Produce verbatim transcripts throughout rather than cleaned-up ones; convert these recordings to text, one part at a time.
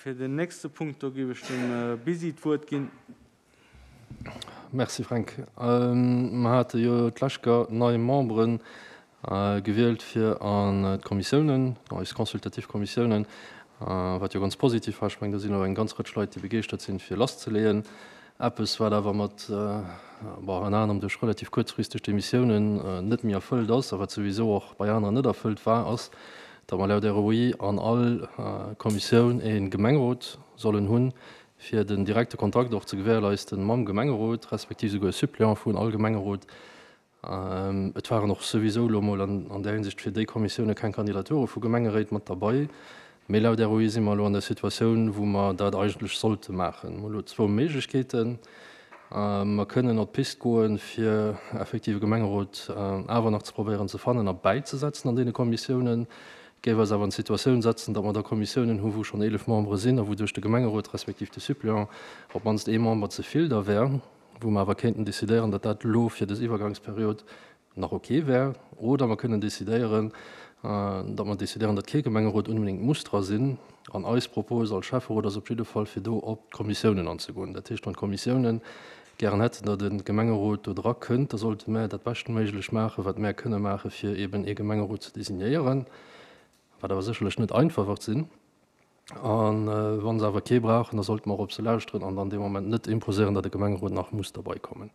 Fir den nächste Punkt, do géif ech dem Bisi d'Wuert ginn. Merci Fränk. Mer hate jo d'lescht Joer nei Membere gewielt fir an d'Kommissiounen, eis consultativ Kommissiounen, wat jo ganz positiv war. Ech mengen, do sinn elo eng ganz Rëtsch Leit, déi begeeschtert sinn, fir lasszeleeën. Eppes, wat awer mat, bon, ënner anerem duerch relativ kuerzfristeg Demissiounen net méi erfëllt ass a wat souwisou och bei aneren net erfëllt war, ass, datt mer laut R O I an all Kommissioun e Gemengerot sollen hunn, fir den direkte Kontakt och ze gewährleisten mam Gemengerot, respektiv souguer e Suppléant vun all Gemengerot. Et waren och souwisou elo mol an an där Hinsicht fir déi Kommissioune keng Kandidature vu Gemengeréit mat derbei. Mee laut R O I si mer elo an der Situatioun, wou mer dat eigentlech sollte maachen. Mer hu elo zwou Méiglechkeeten. Mer kënnen op d'Pist goen, fir effektiv e Gemengerot awer nach ze probéieren ze fannen a bäizesetzen an deene Kommissiounen. Géif eis awer an d'Situatioun setzen, datt mer da Kommissiounen hu wou schonn eelef Membere sinn a wouduerch de Gemengerot respektiv de Suppléant op d'mannst ee Member ze vill da wär, wou mer awer kéinten decidéieren, datt dat elo fir dës Iwwergangsperiod nach ok wär. Oder mer kënnen decidéieren, datt mer decidéieren, datt kee Gemengerot unbedéngt muss dra sinn. An eis Propos als Schäfferot ass op jidde Fall, fir do op d'Kommissiounen anzegoen. Dat heescht, wann d'Kommissiounen gären hätten, datt e Gemengerot do dra kënnt, da sollte mer dat beschtméiglech maachen, wat mer kënne maachen, fir eben ee Gemengerot ze designéieren, wat awer sécherlech net einfach wäert sinn. A wann se awer kee brauchen, da sollte mer och op se lauschteren an dann dee Moment net imposéieren, datt e Gemengerot nach muss derbäi kommen.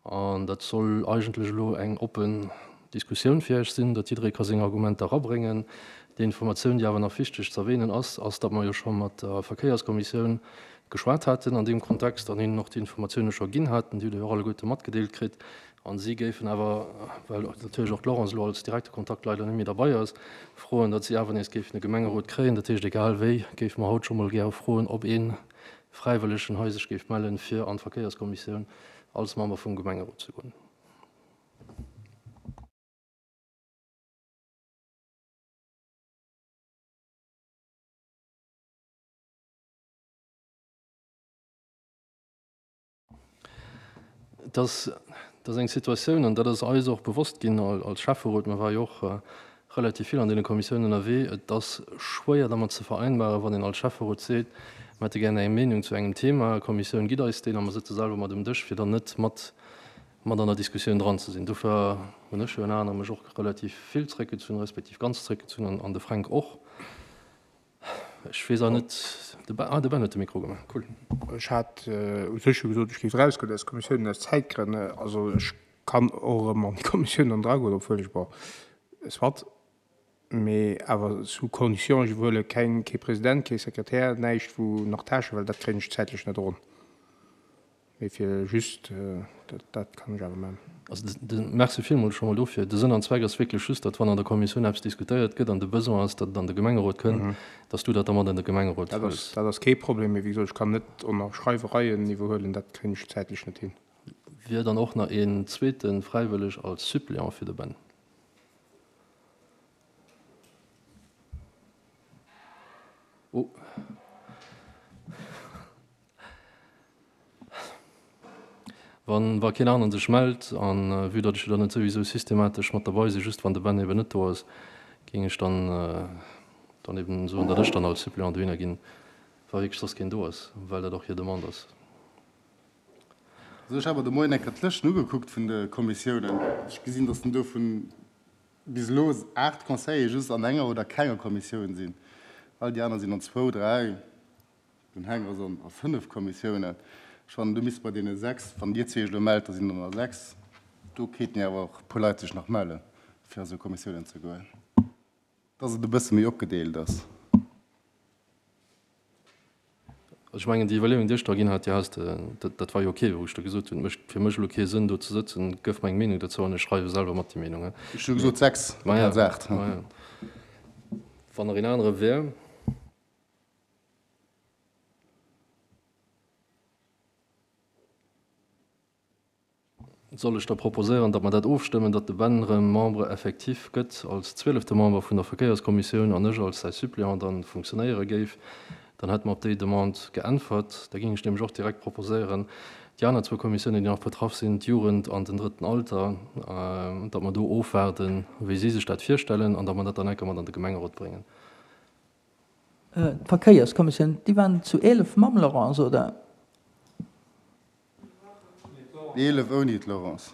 An dat soll eigentlech elo eng oppen Diskussioun fir iech sinn, datt jidderee ka seng Argumenter erabréngen. Déi Informatioun, déi awer nach wichteg ze erwähnen ass, ass, datt mer jo scho mat der Verkéierskommissioun geschwat haten an deem Kontext an hinnen och déi Informatioune scho ginn haten, déi hutt Dir jo och alleguerte matgedeelt kritt. An si géifen awer, well natierlech och d'Laurence elo als direkte Kontakt leider net méi derbei ass, froen, datt si awer nees géifen e Gemengerot kréien. Dat heescht, egal wéi, géife mer haut scho mol gäre froen, ob ee Fräiwëllegen hei sech géif mellen, fir an d'Verkéierskommissioun als Member vum Gemengerot ze goen. Dat ass eng Situatioun, an dat ass eis och bewosst ginn als Schäfferot, mer ware jo och relativ vill an deene Kommissiounen ënnerwee, et ass schwéier dermat ze vereinbaren, wann een als Schäfferot seet, mer hätte gär eng Meenung zu engem Thema, d'Kommissioun gitt eis deen a mer sëtze selwer mat um Dësch, fir dann net mat mat an der Diskussioun dran ze sinn. Dofir hunn ech jo ënner anerem mech och relativ vill zréckgezunn, respektiv ganz zréckgezunn an de Fränk och. Ech weess awer net, de Ben, ah de Ben huet de Mikro gemaach, cool. Ech hat u sech jo gesot, ech géif erausgoen aus Kommissiounen aus Zäitgrënn. Also ech kann och erëm an déi Kommissioun dann dragoen, obwuel ech, bon, soit, mee awer sous condition, ech iwwerhuele keng, kee President, kee Sekretär, näischt wou nach Tâchen, well dat kréien ech zäitlech net eronn. Mee fir just, dat, dat kann ech awer maachen. Also de, merci villmools scho mol dofir. De Sënn an Zweck ass wierklech just, datt wann an der Kommissioun eppes diskutéiert gëtt an de Besoin ass, datt et an de Gemengerot kënnt, datt s du dat da mat an de Gemengerot Dat ass, dat ass kee Problem, mee wéi gesot, ech kann net och nach Schreiwereien iwwerhuelen, dat kréien ech zäitlech net hin. Wier dann och nach een zweete fräiwëlleg als Suppléant fir de Ben? Oh. Wann wa keen aneren sech mellt, an vue datt ech jo dann net souwisou systematesch mat derbei sinn, just wann de Ben eben net do ass, géing ech dann dann eben soen, datt ech dann als Suppléant dohinner ginn, wa wierklech soss keen do ass, well dat och hir Demande ass. Also ech hat mer de Moien eng Kéier d'Lëschten ugekuckt vun de Kommissiounen. Ech gesinn, datt dovun bis elo aacht Conseiller just an enger oder kenger Kommissioun sinn. All déi aner sinn an zwou, dräi, den Heng ass an a fënnef Kommissiounen. Ech fannen, do misst bei deene sechs, wann Dir zwee Iech elo mellt, da sinn der nach sechs, do kéinten jo awer och e puer Leit sech nach mellen, fir a sou Kommissiounen ze goen, dass et e bësse méi opgedeelt ass. Also ech mengen, déi Iwwerleeung, déi ech da ginn hat, déi has de, dat, dat war jo ok, wou ech da gesot hunn, et mécht fir mech elo kee Sënn, do ze sëtzen, gëff mer eng Meenung dozou an ech schreiwe selwer mat déi Meenung. Ech hu gesot sechs, Maja, amplaz aacht. maja. Wann nach een anere wär. Soll ech da proposéieren, datt mer dat ofstëmmen, datt de Ben erëm Membre effectif gëtt als zwielefte Member vun der Verkéierskommissioun an ech als säi Suppléant dann funktionéiere géif? Dann hätte mer op déi Demande geäntwert. Da géing ech nämlech och direkt proposéieren, déi aner zwou Kommissiounen, déi nach betraff sinn, d'Jugend an den Drëtten Alter, datt mer do ofwaarden, wéi si sech dat virstellen an datt mer dat dann enker mat an de Gemengerot bréngen. D'Verkéierskommissioun, déi waren zu eelef mam Laurence, oder? Eelef ouni d'Laurence.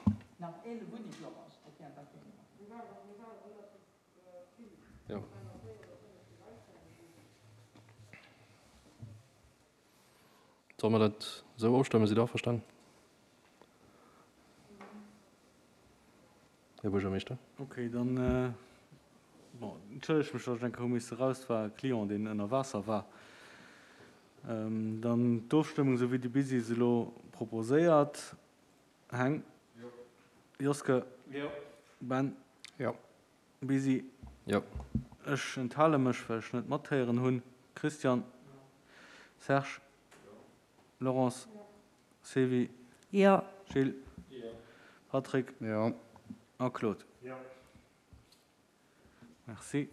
Solle mer dat esou ofstëmmen? Sidd Der averstanen, Här Buergermeeschter? Okay, dann, bon, entschëllegt mech, datt ech eng Kéier hu misse raus, et war e Client, deen ënner Waasser war. Dann d'Ofstëmmung, esou wéi de Busy se elo proposéiert. Heng? Jo. Joske? Jo. Ben? Jo. Busy? Jo. Ech enthale mech, well ech net mathéieren hunn. Christian? Serge? Laurence? Sylvie? Jo. Gilles? Patrick? Jo. A Claude? Jo. Merci.